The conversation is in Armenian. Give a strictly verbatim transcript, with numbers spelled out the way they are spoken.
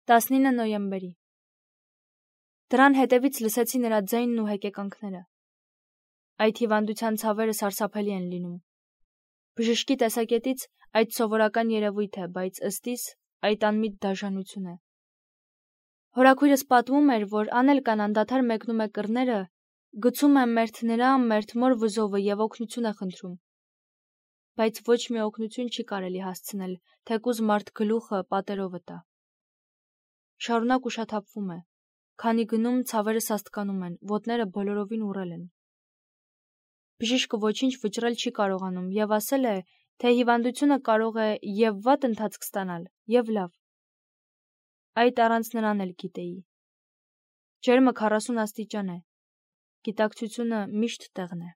տասնինը նոյեմբերի Դրան հետևից լսեցի նրա ձայնն ու հեկեկանքները։ Այդ հիվանդության ցավերը սարսափելի են լինում։ Բժշկի տեսակետից այդ սովորական երևույթ է, բայց ըստիս այդ անմիտ դաժանություն է։ Հորաքույրս պատմում էր, որ անել կան անդադար մեկնում է կռները, գցում է մերթ նրա, մերթ մոր վզովը եւ օգնություն է խնդրում։ Բայց ոչ մի օգնություն չի կարելի հասցնել, թեկուզ մարդ գլուխը պատերովը տա։ Շարունակ ուշաթափվում է, քանի գնում ցավերը սաստկանում են, ոտները բոլորովին ուռել են։ Բժիշկը ոչինչ վճռել չի կարողանում եւ ասել է, թե հիվանդությունը կարող է եւ վատ ընթացք ստանալ, եւ լավ։ Այդ առանց նրան էլ գիտեի։ Ջերմը քառասուն աստիճան է։ Գիտակցությունը միշտ տեղն է։